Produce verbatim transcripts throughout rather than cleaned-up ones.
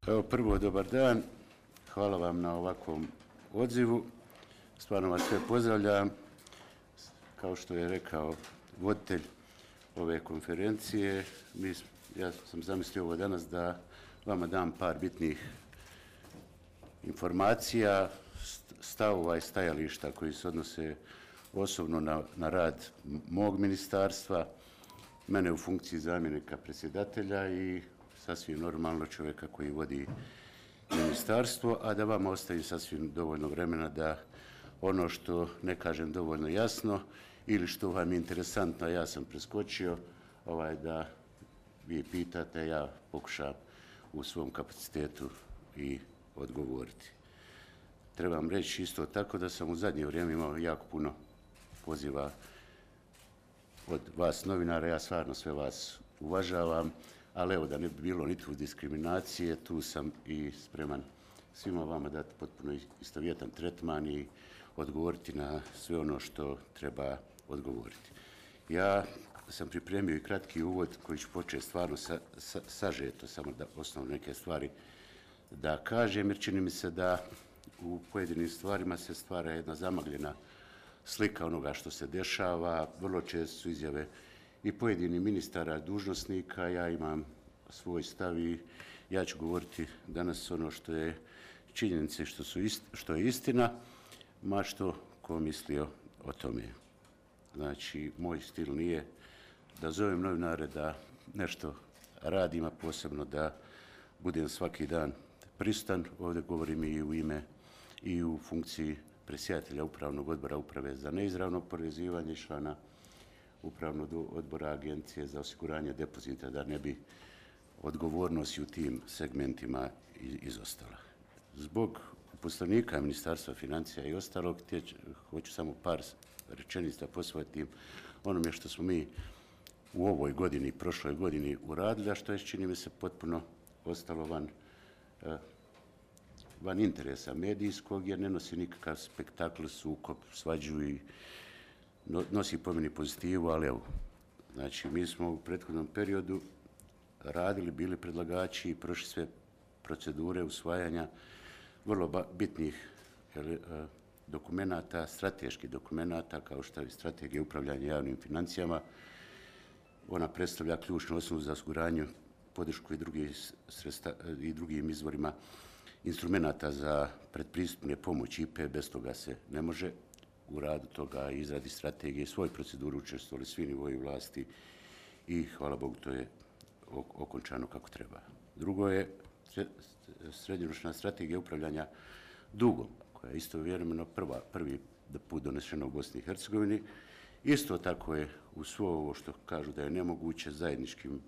Evo prvo, dobar dan. Hvala vam na ovakvom odzivu. Stvarno vas sve pozdravljam. Kao što je rekao voditelj ove konferencije, mi, ja sam zamislio ovo danas da vama dam par bitnih informacija, stavova i stajališta koji se odnose osobno na, na rad mog ministarstva, mene u funkciji zamjenika predsjedatelja i sasvim normalno čovjeka koji vodi ministarstvo, a da vam ostavi sasvim dovoljno vremena da ono što ne kažem dovoljno jasno ili što vam je interesantno, ja sam preskočio, ovaj, da vi pitate, ja pokušam u svom kapacitetu i odgovoriti. Trebam reći isto tako da sam u zadnje vrijeme imao jako puno poziva od vas novinara, ja stvarno sve vas uvažavam, ali evo da ne bi bilo nikakve diskriminacije, tu sam i spreman svima vama dati potpuno istovjetan tretman i odgovoriti na sve ono što treba odgovoriti. Ja sam pripremio i kratki uvod koji ću početi stvarno sa, sa, sažeto, samo da osnovno neke stvari da kažem, jer čini mi se da u pojedinim stvarima se stvara jedna zamagljena slika onoga što se dešava. Vrlo često su izjave i pojedinih ministara, dužnosnika, ja imam svoj stav i ja ću govoriti danas ono što je činjenice, što, su ist, što je istina, ma što ko mislio o tome. Znači, moj stil nije da zovem novinare da nešto radim, a posebno da budem svaki dan prisutan. Ovdje govorim i u ime i u funkciji predsjedatelja Upravnog odbora Uprave za neizravno oporezivanje i člana Upravnog odbora Agencije za osiguranje depozita, da ne bi odgovornost u tim segmentima izostala. Zbog uposlenika Ministarstva financija i ostalog, hoću samo par rečenica posvetiti onome što smo mi u ovoj godini i prošloj godini uradili, a što je, čini mi se, potpuno ostalo van, van interesa medijskog, jer ne nosi nikakav spektakl, sukob, svađu i nosi po meni pozitivu, ali evo, znači mi smo u prethodnom periodu radili, bili predlagači i prošli sve procedure usvajanja vrlo bitnih dokumenata, strateških dokumenata, kao što je strategija upravljanja javnim financijama. Ona predstavlja ključnu osnovu za osiguranje, podršku i, drugi sredsta, i drugim izvorima instrumenata za predpristupne pomoći I P E. Bez toga se ne može. U radu toga i izradi strategije i svoju proceduru učestvovali svi nivoji vlasti i hvala Bogu to je okončano kako treba. Drugo je srednjoročna strategija upravljanja dugom, koja je istovremeno prva, prvi put donešena u Bosni i Hercegovini. Isto tako je u svo ovo što kažu da je nemoguće zajedničkim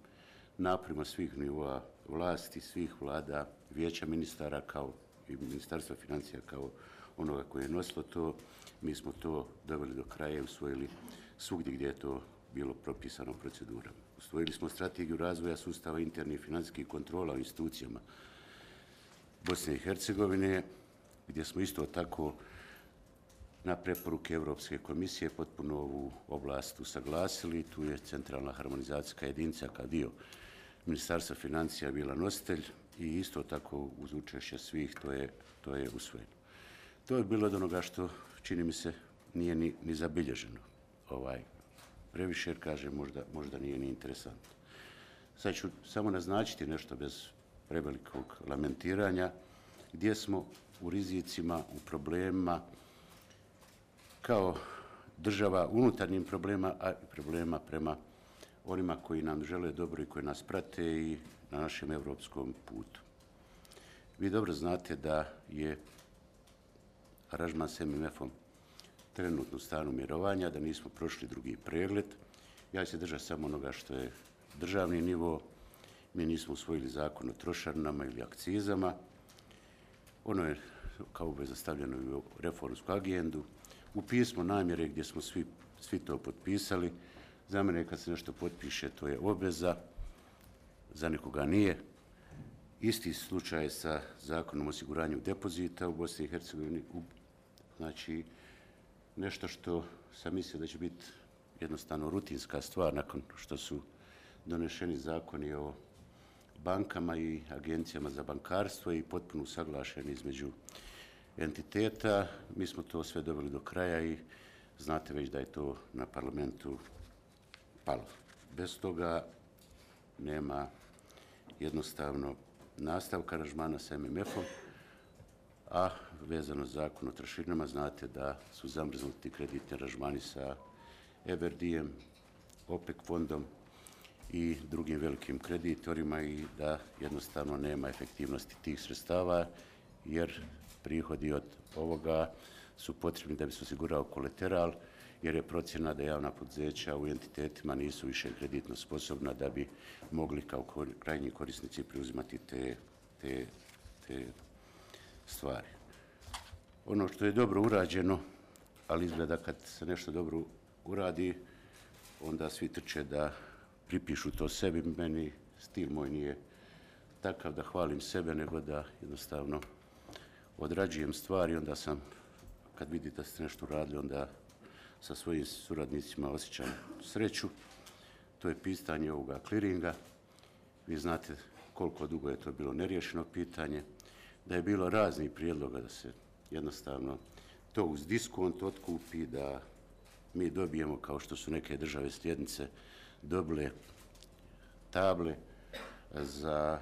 naporima svih nivoa vlasti, svih vlada, vijeća ministara kao i Ministarstva financija kao onoga koje je nosilo to, mi smo to doveli do kraja i usvojili svugdje gdje je to bilo propisano procedurama. Usvojili smo strategiju razvoja sustava internih financijskih kontrola u institucijama Bosne i Hercegovine, gdje smo isto tako na preporuke Europske komisije potpuno ovu oblast usaglasili. Tu je centralna harmonizacijska jedinica kao dio Ministarstva financija bila nositelj i isto tako uz učešće svih to je, to je usvojeno. To je bilo od onoga što, čini mi se, nije ni, ni zabilježeno. Ovaj, previše, jer kaže, možda, možda nije ni interesantno. Sad ću samo naznačiti nešto bez prevelikog lamentiranja, gdje smo u rizicima, u problemima, kao država unutarnjim problema, a i problema prema onima koji nam žele dobro i koji nas prate i na našem evropskom putu. Vi dobro znate da je aranžman s M M F-om trenutno u stanju mirovanja, da nismo prošli drugi pregled. Ja ću se držati samo onoga što je državni nivo. Mi nismo usvojili zakon o trošarinama ili akcizama. Ono je kao obveza stavljeno u reformsku agendu. U pismu namjere gdje smo svi, svi to potpisali. Za mene kad se nešto potpiše, to je obveza, za nekoga nije. Isti slučaj sa zakonom o osiguranju depozita u Bosni i Hercegovini. Znači, nešto što sam mislio da će biti jednostavno rutinska stvar nakon što su donešeni zakoni o bankama i agencijama za bankarstvo i potpuno usaglašeni između entiteta. Mi smo to sve doveli do kraja i znate već da je to na parlamentu palo. Bez toga nema jednostavno nastavka aranžmana sa M M F-om, a vezano za zakon o trošarinama znate da su zamrznuti kreditni aranžmani sa E B R D-em, OPEC fondom i drugim velikim kreditorima i da jednostavno nema efektivnosti tih sredstava jer prihodi od ovoga su potrebni da bi se osigurao kolateral jer je procjena da javna poduzeća u entitetima nisu više kreditno sposobna da bi mogli kao krajnji korisnici preuzimati te, te, te stvari. Ono što je dobro urađeno, ali izgleda kad se nešto dobro uradi, onda svi trče da pripišu to sebi. Meni stil moj nije takav da hvalim sebe, nego da jednostavno odrađujem stvari. Onda sam, kad vidite da ste nešto uradili, onda sa svojim suradnicima osjećam sreću. To je pitanje ovoga kliringa. Vi znate koliko dugo je to bilo neriješeno pitanje, da je bilo raznih prijedloga da se jednostavno to uz diskont otkupi, da mi dobijemo, kao što su neke države slijednice dobile table za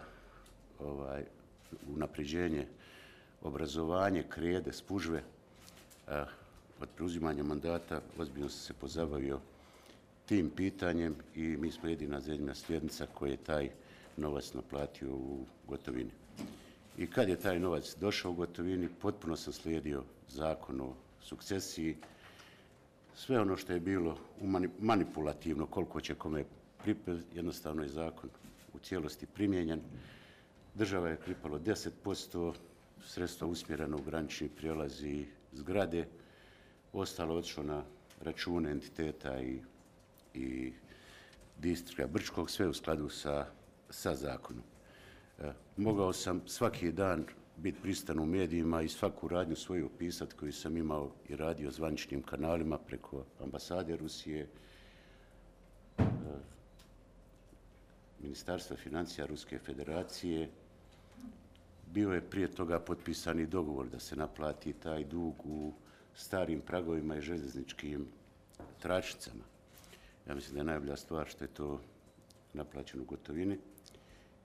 ovaj, unapređenje obrazovanje, krede, spužve. A, od preuzimanja mandata ozbiljno sam se pozabavio tim pitanjem i mi smo jedina zemlja slijednica koja je taj novac naplatio u gotovini. I kad je taj novac došao u gotovini, potpuno sam slijedio zakon o sukcesiji. Sve ono što je bilo manipulativno, koliko će kome pripeti, jednostavno je zakon u cijelosti primijenjen. Država je pripalo deset posto, sredstva usmjereno u granični prijelaz i zgrade, ostalo otišlo na račune entiteta i, i distrikta Brčkog, sve u skladu sa, sa zakonom. E, mogao sam svaki dan biti pristan u medijima i svaku radnju svoju opisati koju sam imao i radio zvaničnim kanalima preko ambasade Rusije, e, Ministarstva financija Ruske federacije. Bio je prije toga potpisani dogovor da se naplati taj dug u starim pragovima i željezničkim tračnicama. Ja mislim da je najbolja stvar što je to naplaćeno u gotovini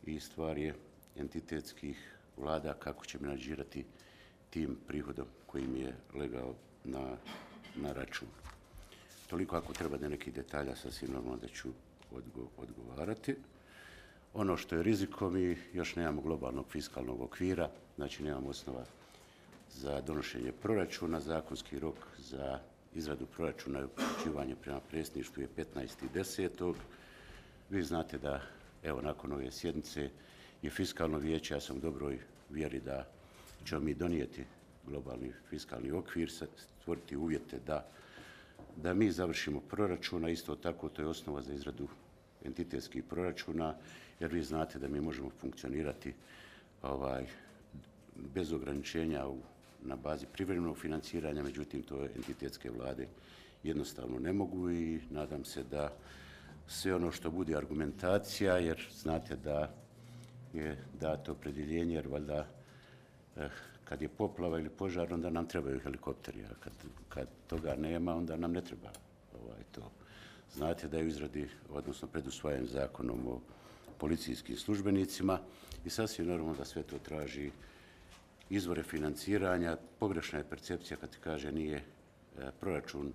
i stvar je entitetskih vlada kako će menadžirati tim prihodom koji im je legao na, na račun. Toliko ako treba da nekih detalja, sasvim normalno da ću odgo, odgovarati. Ono što je rizikom, mi još nemamo globalnog fiskalnog okvira, znači nemamo osnova za donošenje proračuna. Zakonski rok za izradu proračuna i upućivanje prema predsjedništvu je petnaesti desetog Vi znate da, evo, nakon ove sjednice je fiskalno vijeće, ja sam u dobroj vjeri da ćemo mi donijeti globalni fiskalni okvir, stvoriti uvjete da, da mi završimo proračuna. Isto tako, to je osnova za izradu entitetskih proračuna, jer vi znate da mi možemo funkcionirati ovaj, bez ograničenja u, na bazi privremenog financiranja, međutim to entitetske vlade jednostavno ne mogu i nadam se da sve ono što bude argumentacija, jer znate da je dato opredjeljenje, jer valjda eh, kad je poplava ili požar, onda nam trebaju helikopteri, a kad, kad toga nema, onda nam ne treba ovaj, to. Znate da je u izradi, odnosno pred usvajanjem zakonom o policijskim službenicima i sasvim normalno da sve to traži izvore financiranja. Pogrešna je percepcija kad kaže nije e, proračun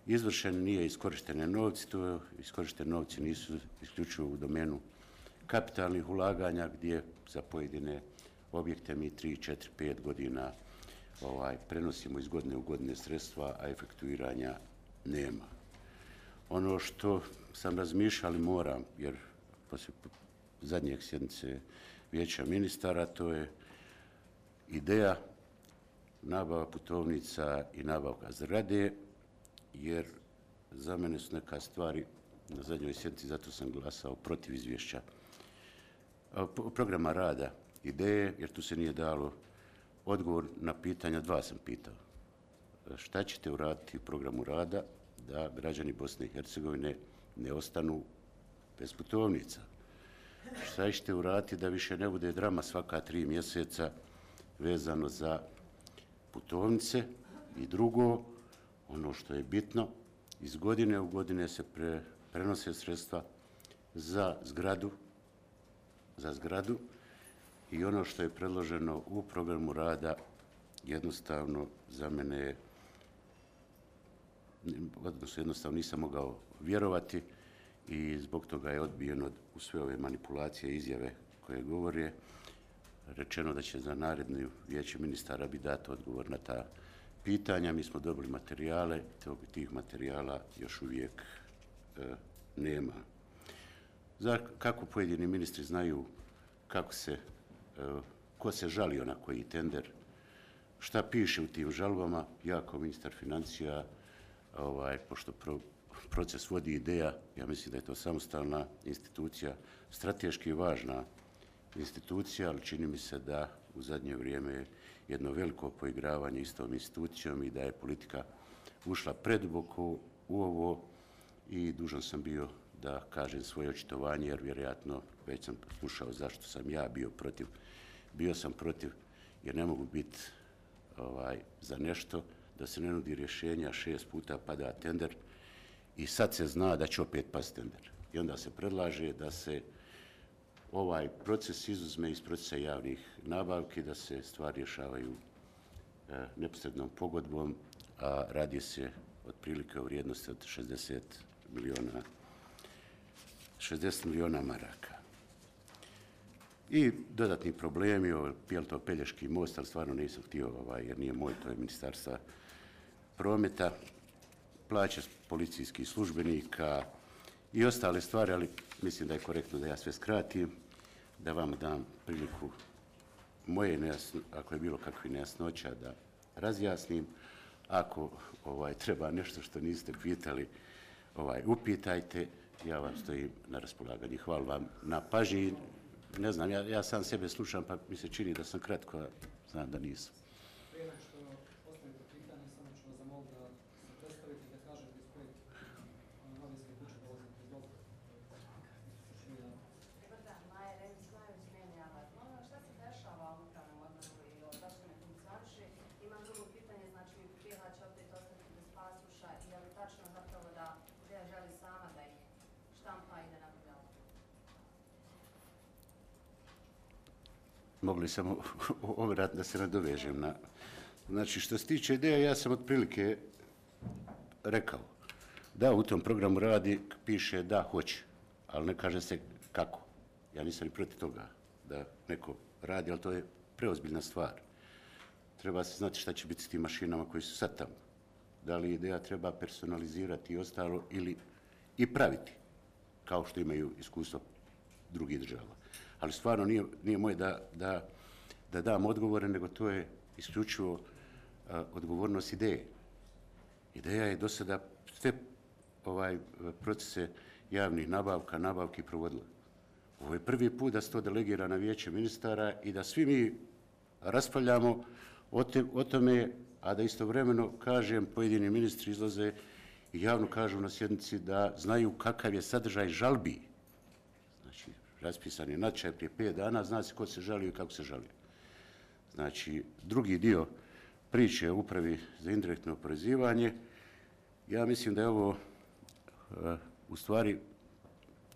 izvršen, nije iskorištene novci. To iskorištene novci nisu isključivo u domenu kapitalnih ulaganja gdje za pojedine objekte mi tri, četiri, pet godina ovaj, prenosimo iz godine u godine sredstva, a efektuiranja nema. Ono što sam razmišljao, ali moram, jer poslije zadnjeg sjednice vijeća ministara, to je ideja nabava putovnica i nabavka zgrade, jer za mene su neka stvari na zadnjoj sjednici, zato sam glasao protiv izvješća programa rada ideje, jer tu se nije dalo odgovor na pitanja. Dva sam pitao. Šta ćete uraditi u programu rada da građani Bosne i Hercegovine ne ostanu bez putovnica? šta ćete uraditi da više ne bude drama svaka tri mjeseca vezano za putovnice. I drugo, ono što je bitno, iz godine u godine se pre, prenose sredstva za zgradu, za zgradu i ono što je predloženo u programu rada jednostavno za mene je, odnosno jednostavno nisam mogao vjerovati i zbog toga je odbijeno u sve ove manipulacije i izjave koje govore. Rečeno da će za naredno vijeće ministara bi dati odgovor na ta pitanja. Mi smo dobili materijale, tih materijala još uvijek e, nema. Za kako pojedini ministri znaju kako se, e, ko se žalio na koji tender, šta piše u tim žalbama, ja kao ministar financija, ovaj, pošto pro, proces vodi ideja, ja mislim da je to samostalna institucija, strateški važna institucija, ali čini mi se da u zadnje vrijeme je jedno veliko poigravanje s tom institucijom i da je politika ušla preduboko u ovo i dužan sam bio da kažem svoje očitovanje, jer vjerojatno već sam slušao zašto sam ja bio protiv. Bio sam protiv jer ne mogu biti ovaj, za nešto da se ne nudi rješenja, šest puta pada tender i sad se zna da će opet pasti tender. I onda se predlaže da se ovaj proces izuzme iz procesa javnih nabavki, da se stvari rješavaju e, neposrednom pogodbom, a radi se otprilike o vrijednosti od šezdeset milijuna maraka. I dodatni problemi, je li to Pelješki most, ali stvarno nisam htio, ovaj, jer nije moj, to je Ministarstva prometa, plaće policijskih službenika i ostale stvari, ali mislim da je korektno da ja sve skratim, da vam dam priliku moje nejasno, ako je bilo kakvih nejasnoća, da razjasnim. Ako ovaj, treba nešto što niste pitali, ovaj, upitajte, ja vam stojim na raspolaganju. Hvala vam na pažnji. Ne znam, ja, ja sam sebe slušam, pa mi se čini da sam kratko, a znam da nisam. Prije nego što postavite pitanje, samo ću vas zamoliti da se predstavite i da kažete iz kojeg novinske kuće dolazite. Izvolite. Dobar dan, Maja Rević, Majović, meni Avar. Molim vas, šta se dešava u upravnom odboru i zašto ne funkcioniše? Imam drugo pitanje, znači Bijela će opet ostati bez pasoša i je li tačno zapravo da Bijela želi sama da ih štampa i da nabavlja? Mogli samo ovrat da se nadovežem na... Znači, što se tiče ideja, ja sam otprilike rekao da u tom programu radi, piše da hoće, ali ne kaže se kako. Ja nisam ni protiv toga da neko radi, ali to je preozbiljna stvar. Treba se znati šta će biti s tim mašinama koji su sad tamo. Da li ideja treba personalizirati i ostalo ili i praviti, kao što imaju iskustvo drugih država. Ali stvarno nije, nije moje da, da, da dam odgovore, nego to je isključivo uh, odgovornost ideje. Ideja je do sada sve ovaj, procese javnih nabavka, nabavki provodila. Ovo je prvi put da se to delegira na vijeće ministara i da svi mi raspravljamo o, te, o tome, a da istovremeno, kažem, pojedini ministri izlaze i javno kažu na sjednici da znaju kakav je sadržaj žalbi. Znači, raspisan je natječaj prije pet dana, zna se ko se žalio i kako se žalio. Znači, drugi dio priče o upravi za indirektno oporezivanje, ja mislim da je ovo uh, u stvari,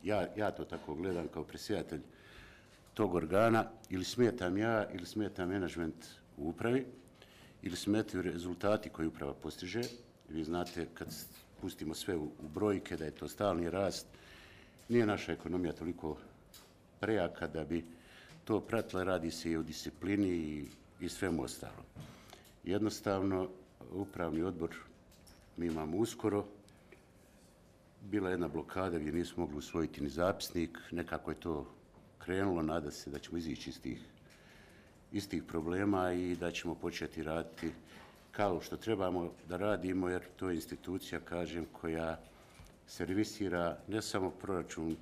ja, ja to tako gledam kao predsjedatelj tog organa, ili smetam ja, ili smeta menadžment u upravi, ili smetaju rezultati koje uprava postiže. Vi znate, kad pustimo sve u, u brojke, da je to stalni rast, nije naša ekonomija toliko prejaka da bi to pratila, radi se i o disciplini i, i svemu ostalo. Jednostavno, upravni odbor mi imamo uskoro, bila jedna blokada gdje nismo mogli usvojiti ni zapisnik, nekako je to krenulo, nada se da ćemo izići iz tih, iz tih problema i da ćemo početi raditi kao što trebamo da radimo, jer to je institucija, kažem, koja servisira ne samo proračun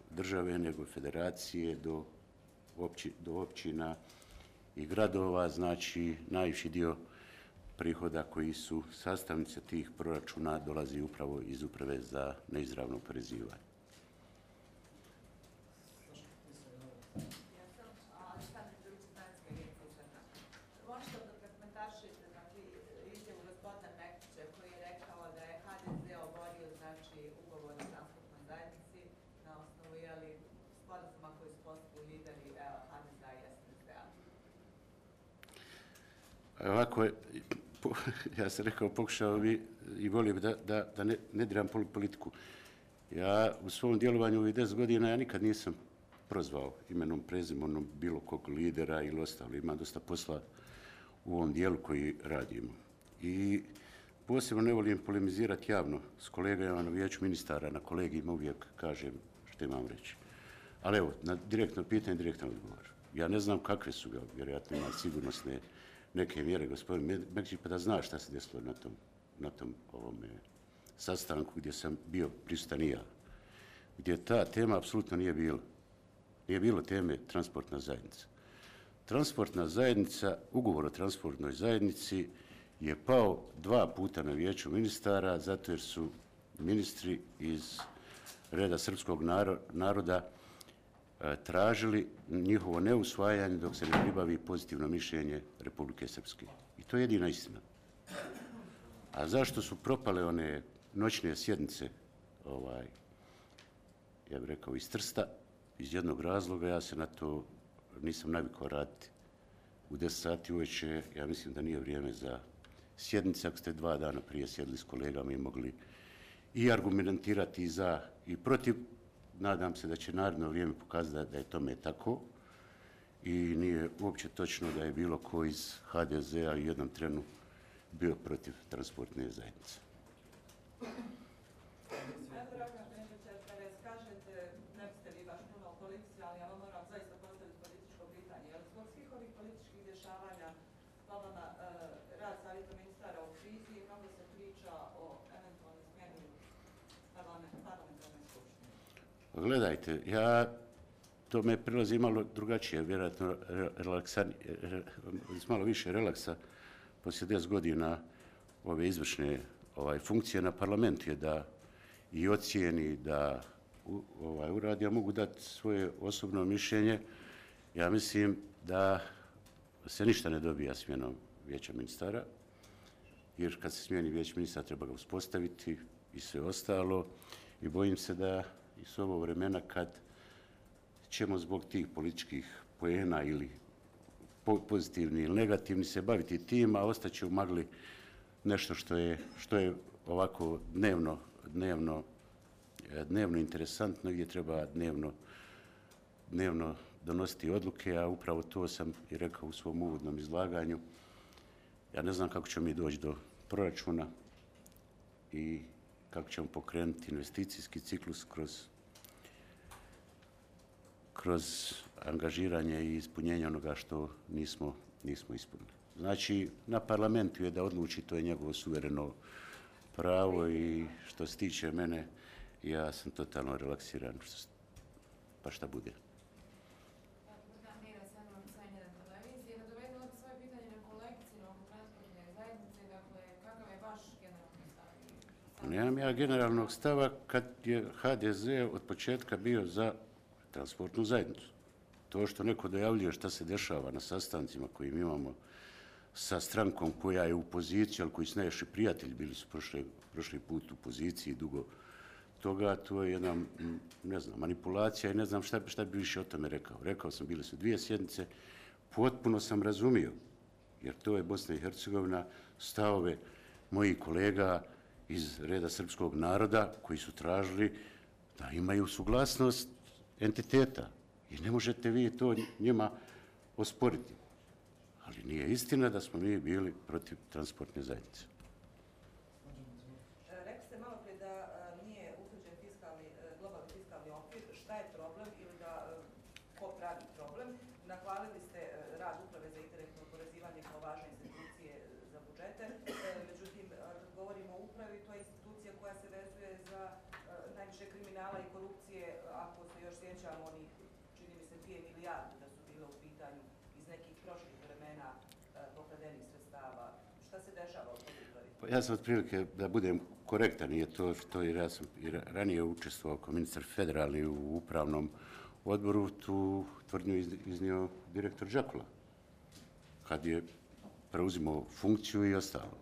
države, nego federacije do, opći, do općina i gradova, znači najviši dio prihoda koji su sastavnice tih proračuna dolazi upravo iz uprave za neizravno oporezivanje. ovako, je, po, ja sam rekao, pokušao bi i volio bi da, da, da ne, ne diram politiku. Ja u svom djelovanju ovih deset godina ja nikad nisam prozvao imenom, prezimenom bilo kog lidera ili ostalo. Ima dosta posla u ovom dijelu koji radimo. I posebno ne volim polemizirati javno s kolegama na vijeću ministara, na kolegijima uvijek kažem što imam reći. Ali evo, na direktno pitanje, direktan odgovor. Ja ne znam kakve su ga, vjerojatno ima sigurnosne neke mjere, gospodin Mekšić, pa da zna šta se desilo na tom, na tom ovome sastanku gdje sam bio prisutan i ja. Gdje ta tema apsolutno nije bilo. Nije bilo teme transportna zajednica. Transportna zajednica, ugovor o transportnoj zajednici je pao dva puta na vijeću ministara zato jer su ministri iz reda srpskog naroda tražili njihovo neusvajanje dok se ne pribavi pozitivno mišljenje Republike Srpske. I to je jedina istina. A zašto su propale one noćne sjednice, ovaj, ja bih rekao, iz Trsta, iz jednog razloga, ja se na to nisam navikao raditi. U deset sati uveče, ja mislim da nije vrijeme za sjednice, ako ste dva dana prije sjedli s kolegama i mogli i argumentirati i za i protiv. Nadam se da će naredno vrijeme pokazati da je tome tako i nije uopće točno da je bilo ko iz ha de zea u jednom trenu bio protiv transportne zajednice. Gledajte, ja, to me prilazi malo drugačije, vjerojatno relaksan, malo više relaksa poslije deset godina ove izvršne ovaj, funkcije na parlamentu je da i ocijeni, da ovaj, uradi. Ja mogu dati svoje osobno mišljenje. Ja mislim da se ništa ne dobija smjenom vijeća ministara, jer kad se smijeni vijeće ministara treba ga uspostaviti i sve ostalo. I bojim se da i s ovo vremena kad ćemo zbog tih političkih poena ili pozitivni ili negativni se baviti tim, a ostaće u magli nešto što je, što je ovako dnevno, dnevno, dnevno interesantno, gdje treba dnevno, dnevno donositi odluke, a upravo to sam i rekao u svom uvodnom izlaganju. Ja ne znam kako ćemo mi doći do proračuna i kako ćemo pokrenuti investicijski ciklus kroz, kroz angažiranje i ispunjenje onoga što nismo, nismo ispunili. Znači, na parlamentu je da odluči, to je njegovo suvereno pravo i što se tiče mene, ja sam totalno relaksiran, pa šta bude. Nemam ja generalnog stava kad je ha de ze od početka bio za transportnu zajednicu. To što neko dojavljuje šta se dešava na sastancima koje imamo sa strankom koja je u poziciji, ali koji su najviše prijatelji, bili su prošli, prošli put u poziciji dugo toga, to je jedna, ne znam, manipulacija i ne znam šta, šta bi više o tome rekao. Rekao sam, bile su dvije sjednice, potpuno sam razumio, jer to je Bosna i Hercegovina, stavove mojih kolega iz reda srpskog naroda koji su tražili da imaju suglasnost entiteta i ne možete vi to njima osporiti. Ali nije istina da smo mi bili protiv transportne zajednice. Rekli ste malo prije da nije utvrđen fiskalni, globalni fiskalni okvir. Šta je problem ili da ko pravi problem? Nahvalili ste rad Uprave za indirektno oporezivanje kao važne institucije za budžete. Međutim, kad govorimo o upravi, to je institucija koja se vezuje za najviše kriminala i korupcije, ako se još sjećamo onih, čini mi se, dvije milijarde da su bile u pitanju iz nekih prošlih vremena pokradenih sredstava. Šta se dešava u toj upravi? Pa ja sam otprilike, da budem korektan, nije to što jer ja sam i ranije učestvovao kao ministar federalni u upravnom odboru, tu tvrdnju iznio direktor Đakula, kad je preuzimao funkciju i ostalo.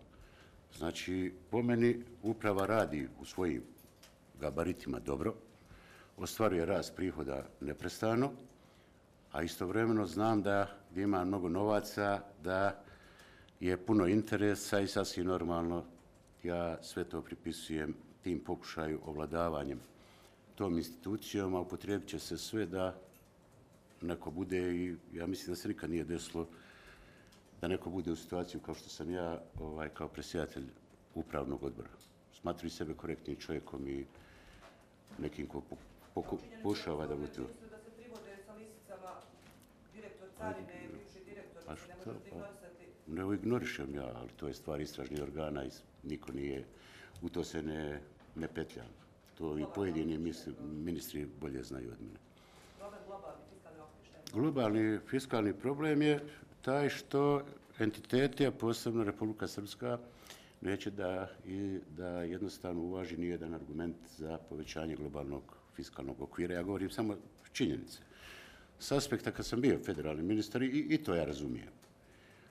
Znači, po meni uprava radi u svojim gabaritima dobro, ostvaruje rast prihoda neprestano, a istovremeno znam da gdje ima mnogo novaca, da je puno interesa i sasvim normalno ja sve to pripisujem tim pokušaju ovladavanjem tom institucijom, a upotrijebit će se sve da neko bude, i ja mislim da se nikad nije desilo da neko bude u situaciju kao što sam ja, ovaj, kao predsjedatelj upravnog odbora. Smatruju sebe korektnim čovjekom i nekim ko pokušava da bude. Činjenica da se privode sa lisicama direktor carine, bivši direktor, A se ne što? možete ignorisati. Ne ignorišem ja, ali to je stvar istražnih organa i niko nije, u to se ne, ne petljam. To i pojedini misli, ministri bolje znaju od mene. Problem globalni fiskalni okvir, šta je? Globalni fiskalni problem je taj što entiteti, a posebno Republika Srpska, neće da, i, da jednostavno uvaži nijedan argument za povećanje globalnog fiskalnog okvira. Ja govorim samo činjenice. S aspekta kad sam bio federalni ministar i, i to ja razumijem.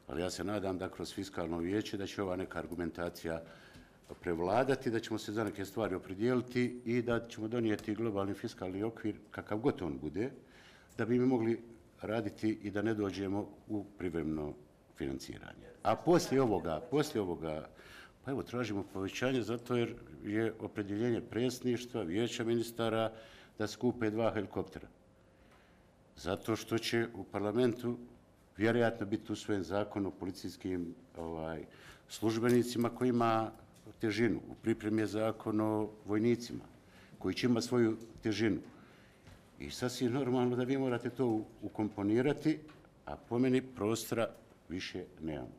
Ali ja se nadam da kroz fiskalno vijeće da će ova neka argumentacija prevladati, da ćemo se za neke stvari opredijeliti i da ćemo donijeti globalni fiskalni okvir kakav god on bude, da bi mi mogli raditi i da ne dođemo u privremeno financiranje. A poslije ovoga, poslije ovoga, pa evo, tražimo povećanje zato jer je opredjeljenje predsjedništva, vijeća ministara da skupe dva helikoptera. Zato što će u parlamentu vjerojatno biti usvojen zakon o policijskim ovaj, službenicima koji ima težinu. U pripremi je zakon o vojnicima koji će imati svoju težinu. I sasvim normalno da vi morate to ukomponirati, a po meni prostora više nemamo.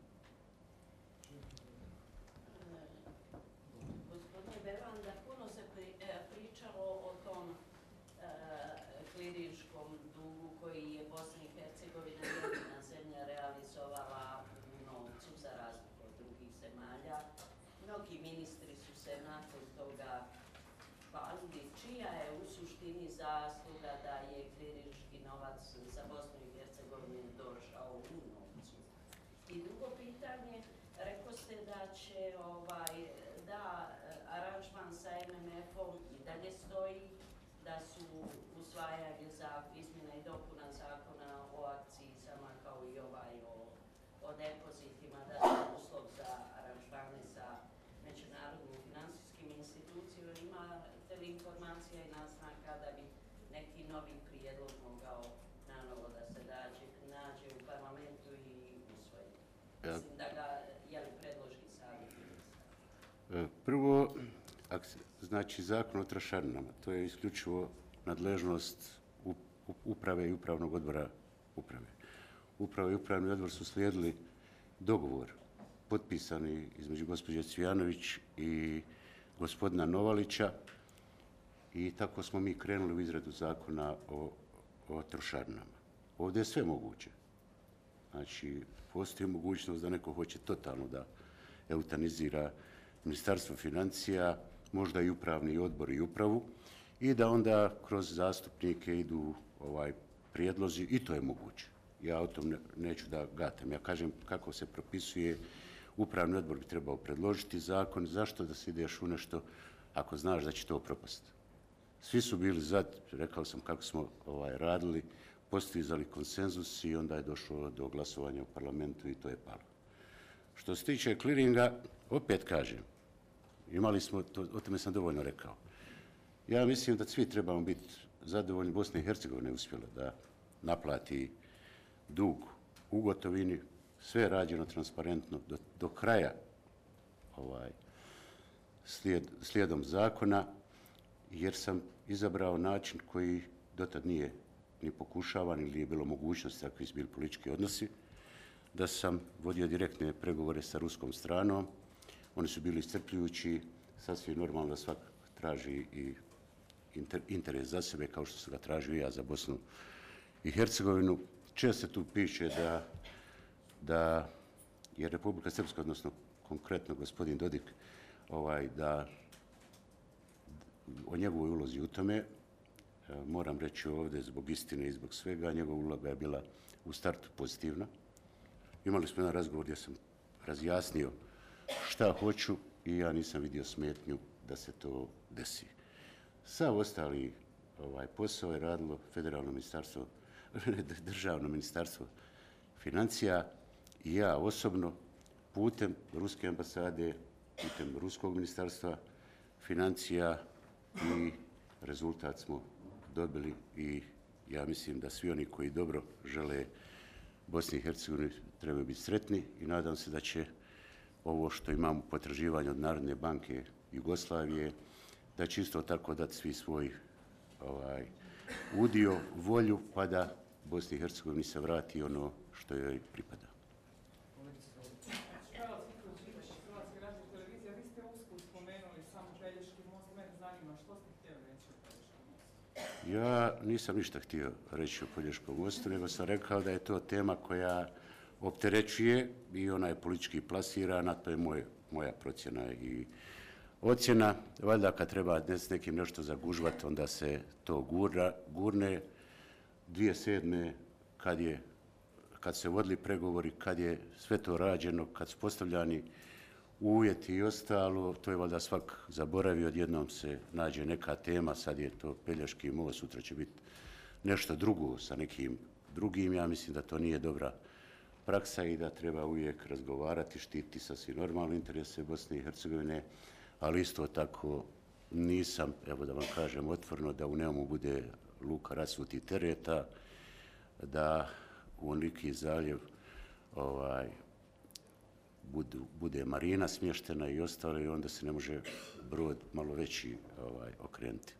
Gospodine Beranda, puno se pričalo o tom klirinškom dugu koji je Bosna i Hercegovina jedina zemlja realizovala u novcu za razliku od drugih zemalja. Mnogi ministri su se nakon toga hvalili. Čija je u suštini zasluga da je klirinški novac za Bosnu i Hercegovinu došao u novcu? I drugo pitanje, rekao ste da će ovaj, da aranžman sa em em efom i dalje stoji, da su usvajanje za izmjena i dopuna zakona o akcizama kao i ovaj o, o depozitima, da su uslov za aranžmane sa međunarodnim financijskim institucijama. Imate li informacija i naznaka da bi neki novi prijedlog mogao nanovo da se dađe, nađe u parlamentu i usvoji? Mislim da ga, je li predloži savjet ministra? Prvo, znači zakon o trošarinama, to je isključivo nadležnost uprave i upravnog odbora uprave. Uprava i upravni odbor su slijedili dogovor potpisani između gospođe Cvijanović i gospodina Novalića i tako smo mi krenuli u izradu zakona o, o trošarinama. Ovdje je sve moguće. Znači, postoji mogućnost da neko hoće totalno da eutanizira Ministarstvo financija, možda i upravni odbor i upravu, i da onda kroz zastupnike idu ovaj prijedlozi, i to je moguće. Ja o tom ne, neću da gatam. Ja kažem kako se propisuje, upravni odbor bi trebao predložiti zakon, zašto da se ideš u nešto ako znaš da će to propasti. Svi su bili za, rekao sam kako smo ovaj, radili, postizali konsenzus i onda je došlo do glasovanja u parlamentu i to je palo. Što se tiče kliringa, opet kažem, imali smo, to, o tome sam dovoljno rekao. Ja mislim da svi trebamo biti zadovoljni. Bosna i Hercegovina je uspjela da naplati dug u gotovini, sve je rađeno transparentno do, do kraja ovaj, slijed, slijedom zakona, jer sam izabrao način koji dotad nije ni pokušavan ili je bilo mogućnosti, ako su bili politički odnosi, da sam vodio direktne pregovore sa ruskom stranom. Oni su bili iscrpljujući, sasvim normalno da svak traži i inter, interes za sebe, kao što sam ga tražio i ja za Bosnu i Hercegovinu. Često tu piše da, da je Republika Srpska, odnosno konkretno gospodin Dodik, ovaj, da o njegovoj ulozi u tome, moram reći ovdje zbog istine i zbog svega, njegova uloga je bila u startu pozitivna. Imali smo jedan razgovor gdje sam razjasnio šta hoću i ja nisam vidio smetnju da se to desi. Sav ostali ovaj, posao je radilo federalno ministarstvo, državno ministarstvo financija i ja osobno putem ruske ambasade, putem ruskog ministarstva financija i rezultat smo dobili i ja mislim da svi oni koji dobro žele Bosni i Hercegovini trebaju biti sretni i nadam se da će ovo što imamo potraživanje od Narodne banke Jugoslavije, da će isto tako dati svi svoj ovaj, udio, volju, pa da Bosni i Hercegovini se vrati ono što joj pripada. Hrvatske radiotelevizije, vi ste usput spomenuli samo Pelješki most, mene zanima što ste htjeli reći o Pelješkom mostu? Ja nisam ništa htio reći o Pelješkom mostu, nego sam rekao da je to tema koja opterećuje i ona je politički plasirana, to je moj, moja procjena i ocjena. Valjda kad treba s nekim nešto zagužvati, onda se to gura, gurne. dvije tisuće sedme kad je kad se vodili pregovori, kad je sve to rađeno, kad su postavljani uvjeti i ostalo, to je valjda svak zaboravio, odjednom se nađe neka tema, sad je to Pelješki most, sutra će biti nešto drugo sa nekim drugim. Ja mislim da to nije dobra praksa i da treba uvijek razgovarati, štiti sasvim normalne interese Bosne i Hercegovine, ali isto tako nisam, evo da vam kažem otvoreno, da u Neumu bude luka rasutih tereta, da u Liki zaljev ovaj, budu, bude marina smještena i ostalo i onda se ne može brod malo veći ovaj, okrenuti.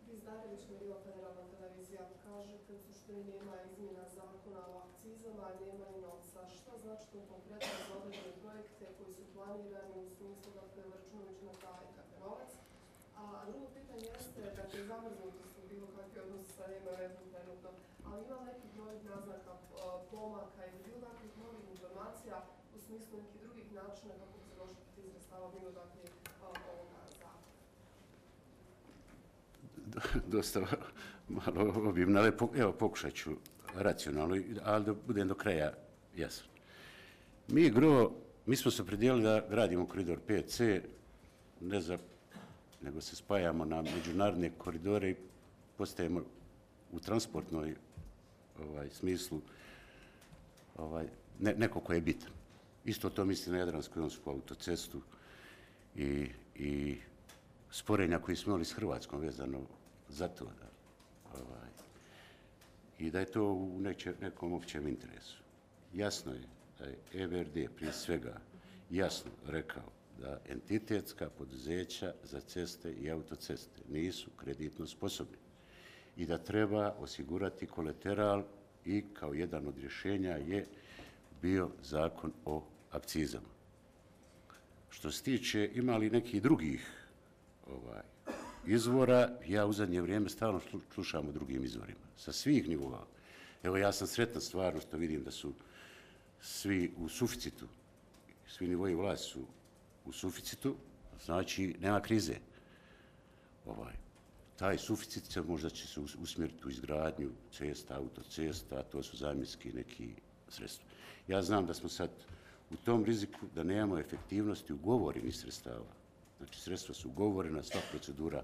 Bizdarević, Merila, Federalna televizija, kažete u suštini nema izmjena zakona o akcizama, nema i novca. Šta znači to konkretno za određene projekte koji su planirani u smislu da je računajuć na taj novac? A drugo pitanje jeste, dakle, zamrznuti su bilo kakvi odnosi sa M M F-om trenutno, ali ima nekih novih naznaka pomaka ili bilo kakvih novih informacija u smislu nekih drugih načina kako bi se došlo do tih sredstava mimo dakle ovoga zakona? Dosta malo obimno, ali evo pokušat ću racionalno, ali da budem do kraja jasan. Mi gro, mi smo se opredijelili da gradimo koridor pet C, ne za, nego se spajamo na međunarodne koridore i postajemo u transportnoj ovaj, smislu ovaj, ne, neko ko je bitan. Isto to misli na Jadransku i Jonsku autocestu i, i sporenja koji smo imali s Hrvatskom vezano za to da, ovaj, i da je to u neće, nekom općem interesu. Jasno je da je E B R D prije svega jasno rekao da entitetska poduzeća za ceste i autoceste nisu kreditno sposobni i da treba osigurati kolateral i kao jedan od rješenja je bio zakon o akcizama. Što se tiče ima li nekih drugih ovaj, izvora, ja u zadnje vrijeme stalno slušam o drugim izvorima, sa svih nivoa. Evo ja sam sretan stvarno što vidim da su svi u suficitu, svi nivoji vlasti su u suficitu, znači nema krize. Ovaj, taj suficit se možda će se usmjeriti u izgradnju cesta, autocesta, to su zamjenski neki sredstva. Ja znam da smo sad u tom riziku da nemamo efektivnosti ugovorenih sredstava. Znači sredstva su ugovorena, sva procedura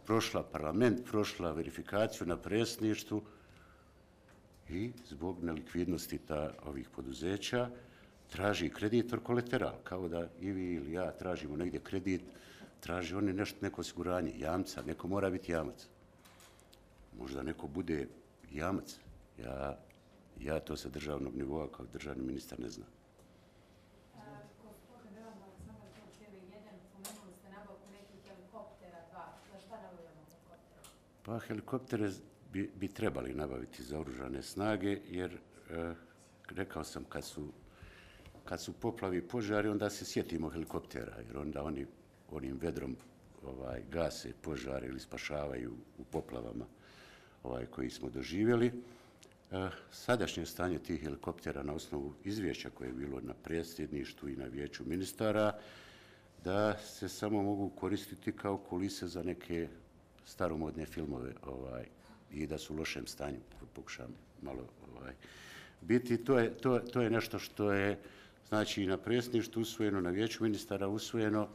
prošla, parlament prošla, verifikaciju na predsjedništvu i zbog nelikvidnosti ta, ovih poduzeća traži kreditor kolateral, kao da i vi ili ja tražimo negdje kredit, traži oni nešto, neko osiguranje, jamca, neko mora biti jamac. Možda neko bude jamac. Ja, ja to sa državnog nivoa kao državni ministar ne znam. Gospodine Velan, Aleksandar Kovačevi, jedan, pomenuli ste nabavku nekih helikoptera, dva. Za šta nabavljamo helikoptera? Pa helikoptere bi, bi trebali nabaviti za oružane snage, jer e, rekao sam kad su, kad su poplavi i požari, onda se sjetimo helikoptera, jer onda oni onim vedrom ovaj, gase požare ili spašavaju u poplavama ovaj, koji smo doživjeli. E, sadašnje stanje tih helikoptera na osnovu izvješća koje je bilo na predsjedništvu i na vijeću ministara, da se samo mogu koristiti kao kulise za neke staromodne filmove ovaj, i da su u lošem stanju, pokušam malo ovaj, biti. To je, to, to je nešto što je znači na predsjedništvu usvojeno, na vijeću ministara usvojeno,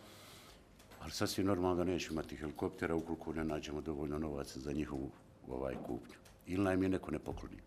ali sasvim normalno da nećemo imati helikoptera ukoliko ne nađemo dovoljno novaca za njihovu ovaj, kupnju. Ili nam je neko ne pokloni.